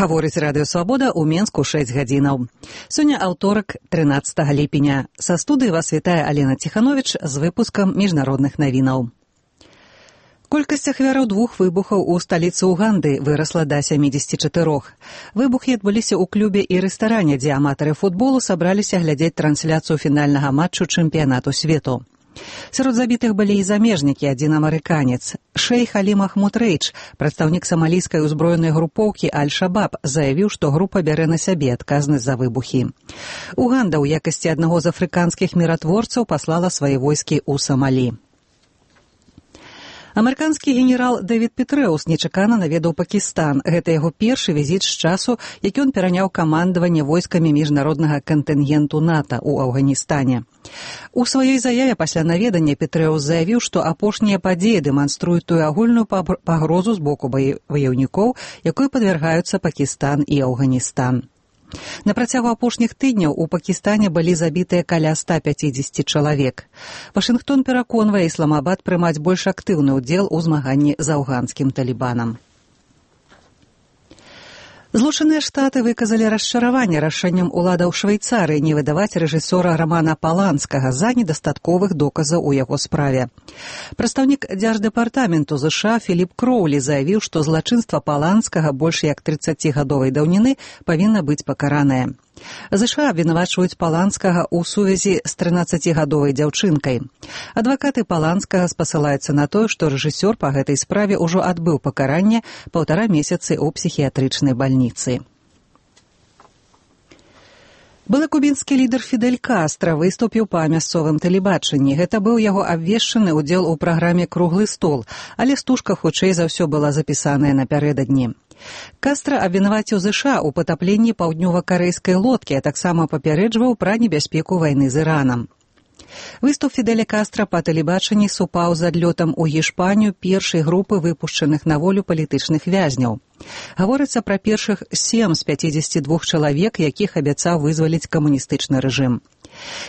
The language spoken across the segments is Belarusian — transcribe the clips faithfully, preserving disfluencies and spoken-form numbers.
Гаворыць Радыё Свабода ў Менску шэсць гадзінаў. Сёння аўторак, трынаццатага ліпеня. Са студыі вас вітае Алена Ціхановіч з выпускам міжнародных навінаў. Колькасць ахвяраў двух выбухаў у сталіцы Уганды вырасла да сямідзесяці чатырох. Выбухі адбыліся ў клубе і рэстаране, дзе аматары футболу сабраліся глядзець трансляцыю фінальнага матчу чэмпіянату свету. Сярод забітых былі і замежнікі, адзін амерыканец. Шэйх Алі Махмуд Рэйдж, прадстаўнік самалійскай узброенай групоўкі Аль-Шабаб, заявіў, што група бярэ на сябе адказнасць за выбухі. Уганда ў якасці аднаго з афрыканскіх міратворцаў паслала свае войскі ў Самалі. Амерыканскі генерал Дэвід Петрэус нечакана наведаў Пакістан. Гэта яго першы візіт з часу, які ён пераняў камандаванне войскамі міжнароднага кантынгенту НАТО ў Афганістане. У сваёй заяве пасля наведання Петрэус заявіў, што апошнія падзеі дэманструюць тую агульную пагрозу з боку ваяўнікоў, якой падвяргаюцца Пакістан і Афганістан. На працягу апошніх тыдняў у Пакістане былі забітыя каля ста пяцідзесяці чалавек. Вашынгтон пераконвае Ісламабад прымаць больш актыўны ўдзел у змаганні з афганскім талібанам. Злучаныя Штаты выказалі расчараванне рашэннем уладаў Швейцарыі не выдаваць рэжысёра Рамана Паланскага з-за недастатковых доказаў у яго справе. Прадстаўнік Дзярждэпартаменту ЗША Філіп Кроўлі заявіў, што злачынства Паланскага больш як трыццацігадовай даўніны павінна быць пакаранае. ЗША абвінавачваюць Паланскага ў сувязі з трынаццацігадовай дзяўчынкай. Адвакаты Паланскага спасылаюцца на тое, што рэжысёр па гэтай справе ўжо адбыў пакаранне паўтара месяцы ў псіхіятрычнай бальніцы. Былы кубінскі лідар Фідель Кастра выступіў па мясцовым тэлебачанні. Гэта быў яго абвешчаны ўдзел у праграме «Круглы стол», але стужка хутчэй за ўсё была запісаная напярэдадні. Кастра абвінаваціў ЗША ў патапленні паўднёва-карэйскай лодкі, а таксама папярэджваў пра небяспеку вайны з Іранам. Выступ Фідэля Кастра па тэлебачанні супаў з адлётам у Гішпанію першай групы выпушчаных на волю палітычных вязняў. Гаворыцца пра першых сем з пяцідзесяці двух чалавек, якіх абяцаў вызваліць камуністычны рэжым.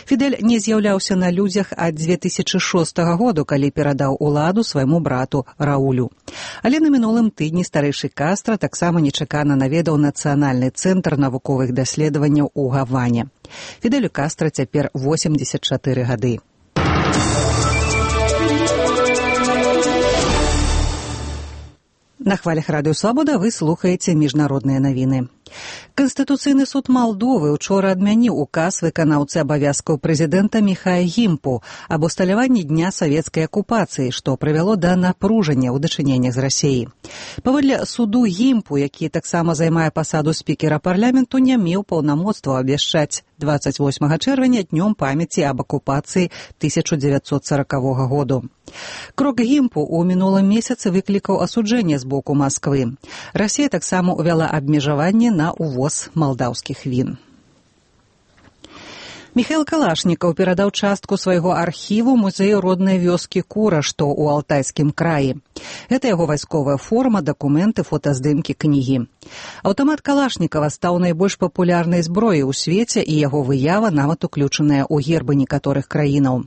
Фідель не з'яўляўся на людзях ад дзве тысячы шостага году, калі перадаў уладу свайму брату Раулю. Але на мінулым тыдні старэйшы Кастра таксама нечакана наведаў Нацыянальны цэнтр навуковых даследаванняў у Гаване. Фідэлю Кастра цяпер восемдзесят чатыры гады. На хвалях Радыё Свабода вы слухаеце міжнародныя навіны. Канстытуцыйны суд Малдовы учора адмяніў указ выканаўцы абавязкаў прэзідэнта Міхая Гімпу аб усталяванні дня савецкай акупацыі, што прывяло да напружання ў дачыненнях з Расіяй. Паводле суду Гімпу, які таксама займае пасаду спікера парламенту, не меў паўнамоцтва абвяшчаць дваццаць восьмага чэрвеня днём памяці аб акупацыі тысяча дзевяцьсот саракавога году. Крок Гімпу ў мінулым месяцы выклікаў асуджэнне з боку Масквы. Расія таксама ўвяла абмежаванне на увоз малдаўскіх він. Міхаіл Калашнікаў перадаў частку свайго архіву музею роднай вёскі Кура, што ў Алтайскім краі. Гэта яго вайсковая форма, дакументы, фотаздымкі, кнігі. Аўтамат Калашнікава стаў найбольш папулярнай зброяй у свеце, і яго выява нават уключаная ў гербы некаторых краінаў.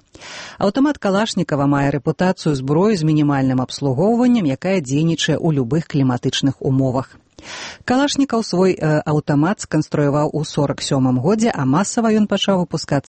Аўтамат Калашнікава мае рэпутацыю зброі з мінімальным абслугоўваннем, якая дзейнічае ў любых кліматычных умовах. Калашнікаў свой э, аўтамат сканструяваў у сорак сёмым годзе, а масава ён пачаў выпускацца